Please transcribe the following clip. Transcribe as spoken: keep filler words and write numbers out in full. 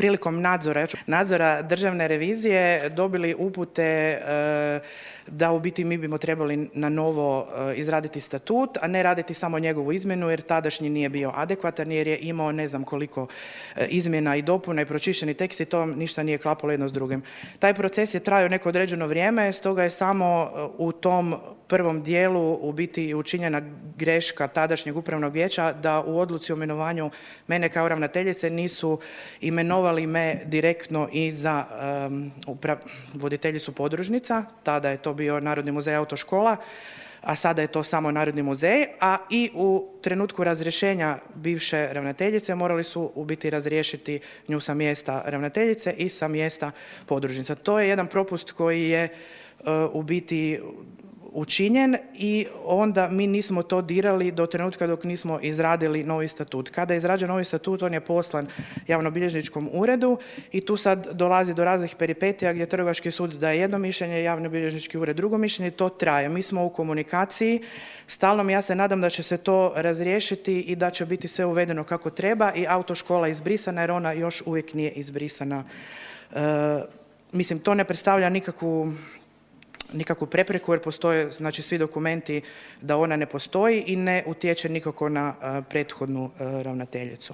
prilikom nadzora, nadzora državne revizije dobili upute e, da u biti mi bimo trebali na novo e, izraditi statut, a ne raditi samo njegovu izmjenu jer tadašnji nije bio adekvatan jer je imao ne znam koliko e, izmjena i dopuna i pročišćeni tekst i to ništa nije klapalo jedno s drugim. Taj proces je trajao neko određeno vrijeme, stoga je samo u tom prvom dijelu u biti učinjena greška tadašnjeg upravnog vijeća da u odluci o imenovanju mene kao ravnateljice nisu imenovali me direktno i za um, upra- voditeljicu podružnica, tada je to bio Narodni muzej autoškola, a sada je to samo Narodni muzej, a i u trenutku razrješenja bivše ravnateljice morali su u biti razriješiti nju sa mjesta ravnateljice i sa mjesta podružnica. To je jedan propust koji je uh, u biti učinjen i onda mi nismo to dirali do trenutka dok nismo izradili novi statut. Kada je izrađen novi statut, on je poslan javnobilježničkom uredu i tu sad dolazi do raznih peripetija gdje Trgovački sud daje jedno mišljenje, javnobilježnički ured drugo mišljenje, to traje. Mi smo u komunikaciji stalno, ja se nadam da će se to razriješiti i da će biti sve uvedeno kako treba i autoškola izbrisana jer ona još uvijek nije izbrisana. E, mislim, to ne predstavlja nikakvu nikakvu prepreku jer postoje znači svi dokumenti da ona ne postoji i ne utječe nikako na uh, prethodnu uh, ravnateljicu.